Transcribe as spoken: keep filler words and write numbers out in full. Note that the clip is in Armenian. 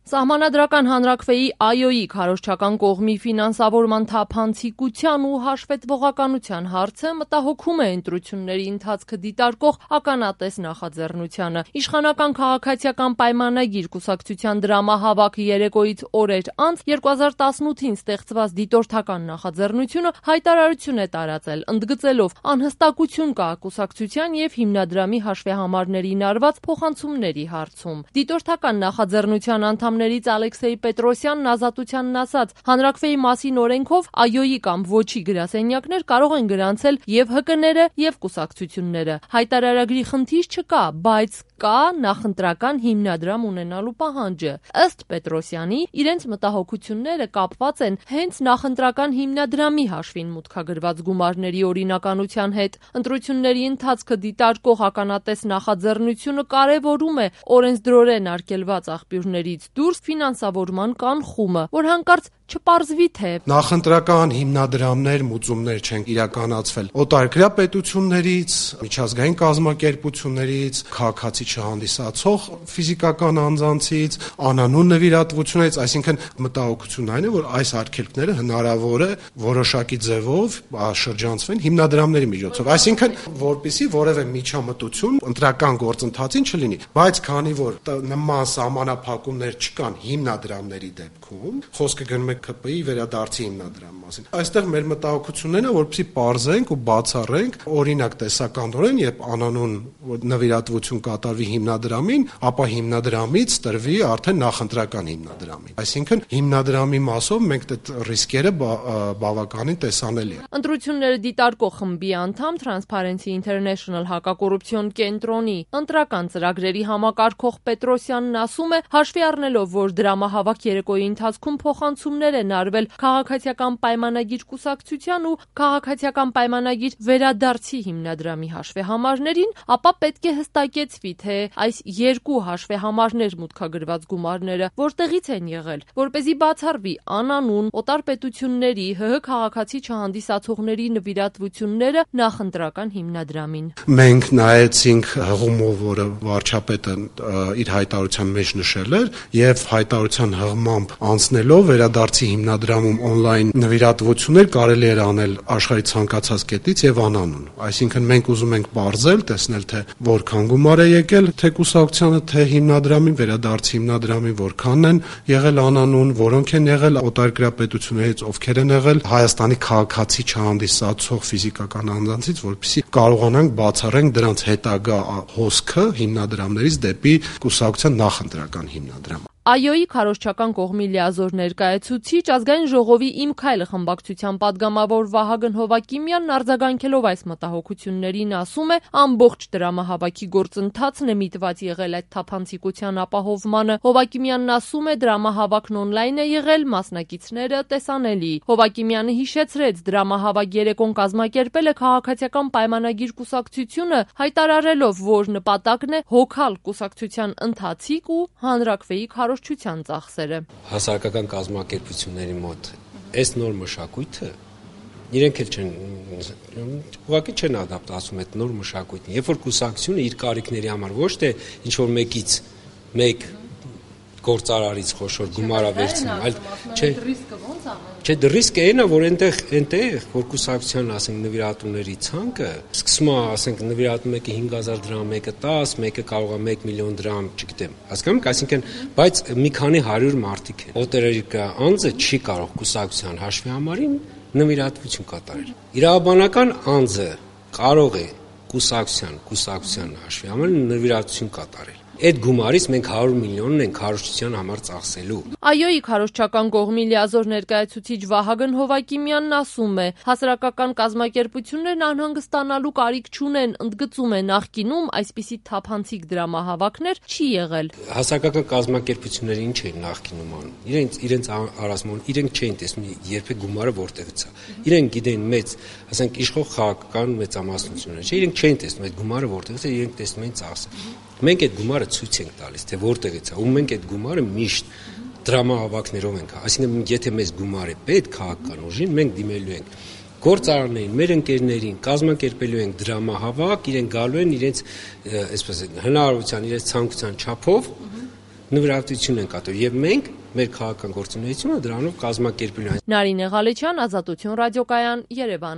Սահմանադրական հանրաքվեի ԱՅՈ-ի քարոզչական կողմի ֆինանսավորման թափանցիկության ու հաշվետվողականության հարցը մտահոգում է ընտրությունների ընթացքը դիտարկող ականատես նախաձեռնությանը։ Իշխանական քաղաքացիական պայմանագիր կուսակցության դրամահավաք երեկոյից օրեր անց երկու հազար տասնութին ստեղծված դիտորդական նախաձեռնությունը հայտարարություն է տարածել, ընդգծելով անհստակություն կա կուսակցության եւ հիմնադրամի հաշվեհամարներին արված փոխանցումների հարցում։ Դիտորդական նախաձեռնության անդամ ներից Ալեքսեյ Պետրոսյանն Ազատությանն ասաց, հանրաքվեի մասին օրենքով ԱՅՈ-ի կամ ոչի գրասենյակներ կարող են գրանցել եւ ՀԿ-ները եւ կուսակցությունները։ Հայտարարագրի խնդիր չկա, բայց կա նախընտրական հիմնադրամ ունենալու պահանջը։ Ըստ Պետրոսյանի, իրենց մտահոգությունները կապված են հենց նախընտրական հիմնադրամի հաշվին մուտքագրված գումարների օրինականության հետ։ Ընտրությունների ընթացքը դիտարկող ականատես նախաձեռնությունը կարևորում է օրենսդրորեն արգելված աղբյուրներից դուրս ֆինանսավորման կանխումը, որ հանկարծ չպարզվի թե նախընտրական հիմնադրամներ, մուծումներ չեն իրականացվել օտարերկրյա պետություններից, միջազգային կազմակերպություններից, քաղաքացի չհանդիսացող ֆիզիկական անձանցից, անանուն նվիրատվություններից, այսինքն մտահոգությունն այն է, որ այս արգելքները հնարավոր է որոշակի ձևով շրջանցվեն հիմնադրամների միջոցով, այսինքն որպեսզի որևէ միջամտություն ընտրական գործընթացին չլինի, բայց քանի որ նման սահմանափակումներ չկան հիմնադրամների դեպքում, խոսքը գնում է K P I-ի վերադարձի հիմնադրամի մասին։ Այստեղ մեր մտահոգությունն է, որպեսզի պարզենք ու բացառենք, օրինակ տեսականորեն, երբ անանուն նվիրատվություն կատարվի հիմնադրամին, ապա հիմնադրամից տրվի արդեն նախընտրական հիմնադրամին։ Այսինքն հիմնադրամի մասով մենք այդ ռիսկերը բավականին տեսանելի է։ Ընտրությունները դիտարկող խմբի անդամ Transparency International հակակոռուպցիոն կենտրոնի ընտրական ծրագրերի համակարգող Պետրոսյանն ասում է, հաշվի առնելով, որ դրամահավաք երեկոյի ընթացքում փոխանցումներ են արվել քաղաքացիական պայմանագիր կուսակցության ու քաղաքացիական պայմանագիր վերադարձի հիմնադրամի հաշվեհամարներին, ապա պետք է հստակեցվի, թե այս երկու հաշվեհամարներ մուտքագրված գումարները որտեղից են եղել, որպեսզի բացառվի անանուն օտար պետությունների ՀՀ քաղաքացի չհանդիսացողների նվիրատվությունները նախընտրական հիմնադրամին։ Մենք նայեցինք հղումով, որը վարչապետը իր հայտարարության մեջ նշել էր, եւ հայտարարության հղմամբ անցնելով վերադարձի հիմնադրամում on-line նվիրատվություններ կարելի էր անել աշխարհի ցանկացած կետից եւ անանուն։ Այսինքն մենք ուզում ենք բարձել, տեսնել թե որքան գումար է եկել թե կուսակցությանը, թե հիմնադրամին, վերադարձի հիմնադրամին որքան են եղել անանուն, որոնք են եղել օտարերկրյա պետություններից, ովքեր են եղել Հայաստանի քաղաքացի չհանդիսացող ֆիզիկական անձանցից, որպեսզի կարողանանք բացառենք դրանց հետագա հոսքը հիմնադրամներից դեպի կուսակցության նախընտրական հիմնադրամ։ ԱՅՈ-ի քարոզչական կողմի լիազոր ներկայացուցիչ ազգային ժողովի Իմ քայլը խմբակցության падգամավոր Վահագն Հովակիմյանն արձագանքելով այս մտահոգություններին ասում է, ամբողջ դրամահավաքի գործընթացն է միտված եղել այդ թափանցիկության ապահովմանը։ Հովակիմյանն ասում է, դրամահավաքն on-line է եղել, մասնակիցները տեսանելի։ Հովակիմյանը հիշեցրեց, դրամահավաք երեկոն կազմակերպել է քաղաքացիական պայմանագիր կուսակցությունը, հայտարարելով, որ նպատակն է հոգալ կուսակցության ընթացիկ ու հանրաքվեի քարոզչության ծախսերը։ Հասարակական կազմակերպությունների մոտ այս նոր մշակույթը իրենք էլ չեն ուղղակի չեն ադապտացում այդ նոր մշակույթին։ Երբ որ կուսակցությունը իր կարիքների համար ոչ թե ինչ որ մեկից մեկ գործարարից խոշոր գումարա վերցնում, այլ չէ, չէ, ռիսկը այն է, որ այնտեղ այնտեղ որ կուսակցության, ասենք, նվիրատուների ցանկը սկսում է, ասենք, նվիրատու մեկը հինգ հազար դրամ, մեկը տասը, մեկը կարող է մեկ միլիոն դրամ, չգիտեմ, հասկանում եք, այսինքն, բայց մի քանի հարյուր մարդիկ են։ Օտարերկրյա անձը չի կարող կուսակցության հաշվի համարին նվիրատվություն կատարել։ Իրավաբանական անձը կարող է կուսակցության, կուսակցության հաշվի համարին նվիրատվություն կատարել։ Այդ գումարից մենք հարյուր միլիոնն ենք քարոզչության համար ծախսելու։ ԱՅՈ-ի քարոզչական կողմի լիազոր ներկայացուցիչ Վահագն Հովակիմյանն ասում է, հասարակական կազմակերպություններն անհանգստանալու կարիք չունեն, ընդգծում է, նախկինում այսպիսի թափանցիկ դրամահավաքներ չի եղել։ Հասարակական կազմակերպությունները ինչ են նախկինում անում։ Իրենց իրենց առասմոն իրենք չէին տեսնում երբեք գումարը որտեղից է։ Իրենք գիտեն մեծ, ասենք, իշխող քաղաքական մեծամասնությունները, չէ, իրենք չէին տեսնում այդ գումարը որտեղից է, իրենք տեսնում էին ծախսը։ Մենք այդ գումարը ցույց ենք տալիս, թե որտեղից է, ու մենք այդ գումարը միշտ դրամահավաքներով ենք, այսինքն եթե մեզ գումար է պետք քաղաքական ուժին, մենք դիմելու ենք գործարաններին, մեր ընկերներին, կազմակերպելու ենք դրամահավաք, իրենք գալու են իրենց, այսպես հնարավորության, իրենց ցանկության չափով նվիրատվություն են կատարում եւ մենք մեր քաղաքական գործունեությունը դրանով կազմակերպելու ենք։ Նարինե Ղալեչյան, Ազատություն ռադիոկայան, Երևան։